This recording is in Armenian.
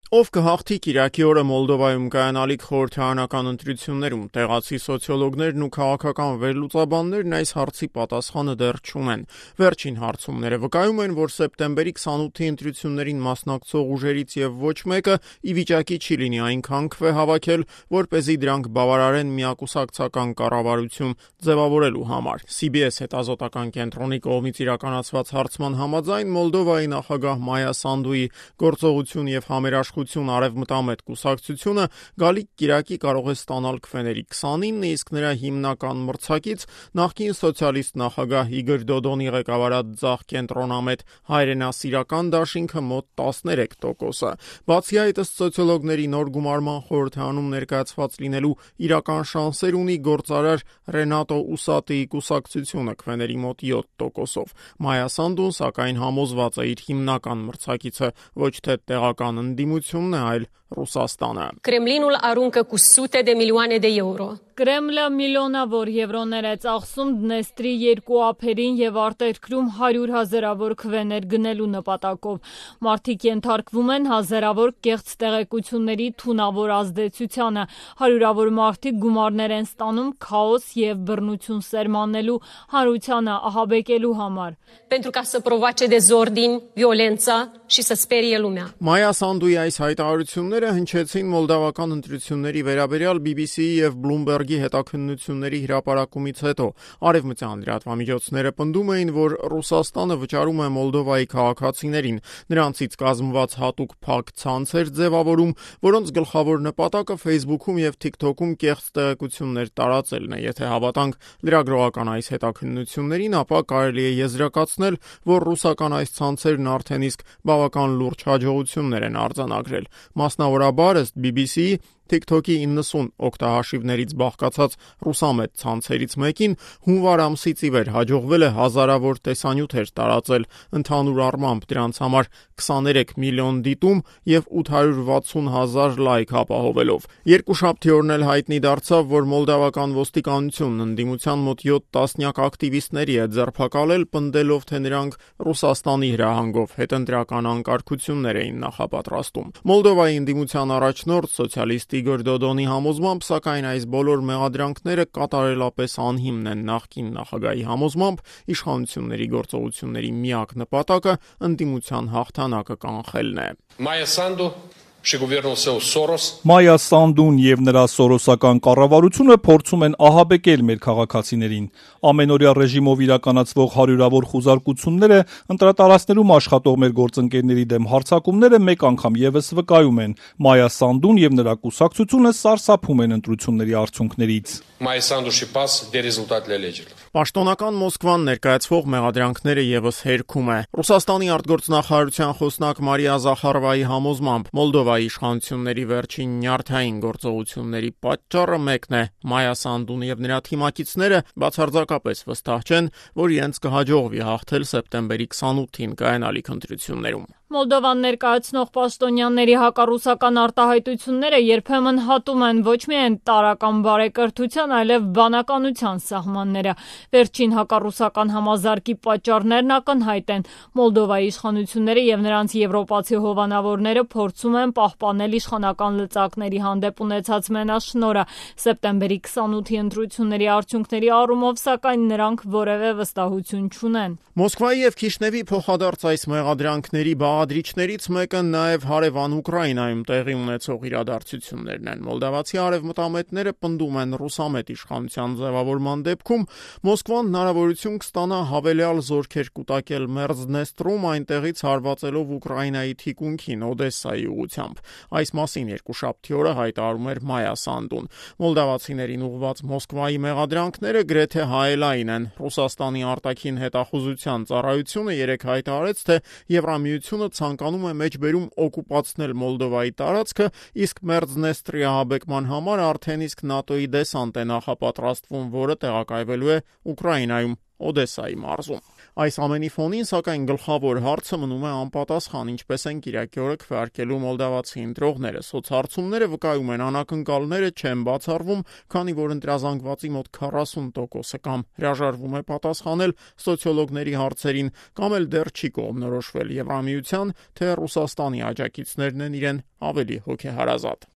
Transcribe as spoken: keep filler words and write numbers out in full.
Ով կհաղթի Կիրակի օրը Մոլդովայում կայանալիք խորհրդարանական ընտրություններում, տեղացի սոցիոլոգներն ու քաղաքական վերլուծաբաններն այս հարցի պատասխանը դեռ չունեն։ Վերջին հարցումները վկայում են, որ սեպտեմբերի քսանութի ընտրություններին մասնակցող ուժերից եւ ոչ մեկը ի վիճակի չի լինի այնքան քվե հավաքել, որպեսզի դրանք բավարարեն միակուսակցական կառավարություն ձևավորելու համար։ Սի Բի Էս հետազոտական կենտրոնի կողմից իրականացված հարցման համաձայն Մոլդովայի նախագահ Մայա Սանդուի գործողություն եւ համերաշխություն արևմտամետ կուսակցությունը գալիք Կիրակի կարող է ստանալ քվեների քսանինը, իսկ նրա հիմնական մրցակից նախկին սոցիալիստ նախագահ Իգոր Դոդոնի ղեկավարած ձախ կենտրոնամետ հայրենասիրական դաշինքը մոտ տասներեք տոկոսը։ Բացի այդ, ըստ սոցիոլոգների նոր գումարման խորհրդարանում ներկայացված լինելու իրական շանսեր ունի գործարար Ռենատո Ուսատիի կուսակցությունը քվեների մոտ յոթ տոկոսով։ Մայա Սանդուն սակայն համոզված է իր հիմնական մրցակիցը ոչ թե տեղական ընդդիմությունն է, այլ Ռուսաստանը։ Կրեմլինul aruncă cu sute de milioane de euro. Կրեմլը միլիոնավոր եվրոներ է ծախսում Դնեստրի երկու ափերին եւ արտերկրում հարյուր հազարավոր քվեներ գնելու նպատակով։ Մարդիկ ենթարկվում են հազարավոր կեղծ տեղեկությունների թունավոր ազդեցությանը։ Հարյուրավոր մարդիկ գումարներ են ստանում քաոս եւ բռնություն սերմանելու, հանրությանը ահաբեկելու համար։ Pentru ca să provoace dezordini, violența și să sperie lumea. Մայա Սանդուի այս հայտարարությունները հնչեցին մոլդավական ընտրությունների վերաբերյալ Բի Բի Սի-ի եւ Bloomberg-ի հետաքննությունների հրապարակումից հետո արևմտյան լրատվամիջոցները պնդում էին, որ Ռուսաստանը վճարում է Մոլդովայի քաղաքացիներին, նրանցից կազմված հատուկ փակ ցանցեր ձևավորում, որոնց գլխավոր նպատակը Facebook-ում եւ TikTok-ում կեղծ տեղեկություններ տարածելն է։ Եթե հավատանք լրագրողական այս հետաքննություններին, ապա կարելի է եզրակացնել, որ ռուսական այս ցանցերն արդեն իսկ բավական լուրջ հաջողություններ են արձանագրել։ Մասնավորաբար, ըստ Բի Բի Սի-ի, TikTok-ի իննսուն օգտահաշիվներից բաղկացած ռուսամետ ցանցերից մեկին հունվար ամսից ի վեր հաջողվել է հազարավոր տեսանյութեր տարածել, ընդհանուր առմամբ դրանց համար քսաներեք միլիոն դիտում եւ ութ հարյուր վաթսուն հազար լայք ապահովելով։ Երկուշաբթի օրն էլ հայտնի դարձավ, որ մոլդավական ոստիկանությունն ընդդիմության մոտ յոթ տասնյակ ակտիվիստների է ձերբակալել, պնդելով, թե նրանք Ռուսաստանի հրահանգով հետընտրական անկարգություններ էին նախապատրաստում։ Մոլդովայի ընդդիմության առաջնորդ սոցիալիստ Իգոր Դոդոնի համոզմամբ, սակայն այս բոլոր մեղադրանքները կատարելապես անհիմն են։ Նախկին նախագահի համոզմամբ իշխանությունների գործողությունների միակ նպատակը ընդդիմության հաղթանակը կանխելն է։ Մայա Սանդու și guvernul său Soros. Մայա Սանդուն եւ նրա սորոսական կառավարությունը փորձում են ահաբեկել մեր քաղաքացիներին։ Ամենօրյա ռեժիմով իրականացվող հարյուրավոր խուզարկությունները, ընտրատարածքներում աշխատող մեր գործընկերների դեմ հարձակումները մեկ անգամ եւս վկայում են։ Մայա Սանդուն եւ նրա կուսակցությունը սարսափում են ընտրությունների արդյունքներից։ Մայա Սանդու și P A S de rezultatele alegerilor. Պաշտոնական Մոսկվան ներկայացվող մեղադրանքները եւս հերքում է։ Ռուսաստանի արտգործնախարարության խոսնակ Մարիա Զախարովայի համոզմամբ Մոլդովայի իշխանությունների վերջին նյարդային գործողությունների պատճառը մեկն է։ Մայա Սանդուն եւ նրա թիմակիցները բացարձակապես վստահ չեն, որ իրենց կհաջողվի հաղթել սեպտեմբերի քսանութին կայանալիք ընտրություններում։ Մոլդովան ներկայացնող պաշտոնյաների հակառուսական արտահայտությունները երբեմն հատում են ոչ միայն տարրական բարեկրթության, այլև բանականության սահմանները։ Վերջին հակառուսական համազարկի պատճառներն ակնհայտ են։ Մոլդովայի իշխանությունները եւ նրանց եվրոպացի հովանավորները փորձում են պահպանել իշխանական լծակների հանդեպ ունեցած մենաշնորհը։ Սեպտեմբերի քսանութի ընտրությունների արդյունքների առումով, սակայն նրանք որևէ վստահություն չունեն։ Մոսկվայի եւ Քիշնևի փոխադարձ այս մեղադրանքների բաղադրիչներից մեկը նաեւ հարևան Ուկրաինայում տեղի ունեցող իրադարձություններն են։ Մոլդավացի արևմտամետները պնդում են ռուսամետ իշխանության ձևավորման դեպքում Մոսկվան հնարավորություն կստանա հավելյալ զորքեր կուտակել Մերձդնեստրում, այնտեղից հարվածելով Ուկրաինայի թիկունքին Օդեսայի ուղությամբ։ Այս մասին երկուշաբթի օրը հայտարարում էր Մայա Սանդուն։ Մոլդավացիներին ուղղված Մոսկվայի մեղադրանքները գրեթե հայելային են։ Ռուսաստանի արտաքին հետախուզության ծառայությունը երեկ հայտարարեց, թե Եվրամիությունը ցանկանում է մեջբերում օկուպացնել Մոլդովայի տարածքը, իսկ Մերձդնեստրի ահաբեկման համար արդեն իսկ ՆԱՏՕ-ի դեսանտ է նախապատրաստվում, որը տեղակայվելու է Ուկրաինայում, Օդեսայի մարզում։ Այս ամենի ֆոնին, սակայն, գլխավոր հարցը մնում է անպատասխան, ինչպես են կիրակի օրը քվեարկելու մոլդավացի ընտրողները։ Սոցհարցումները վկայում են, անակնկալները չեն բացառվում, քանի որ ընտրազանգվածի մոտ քառասուն տոկոսը կամ հրաժարվում է պատասխանել սոցիոլոգների հարցերին, կամ էլ դեռ չի կողմնորոշվել Եվրամիության, թե Ռուսաստանի աջակիցներն են իրեն ավելի հոգեհարազատ։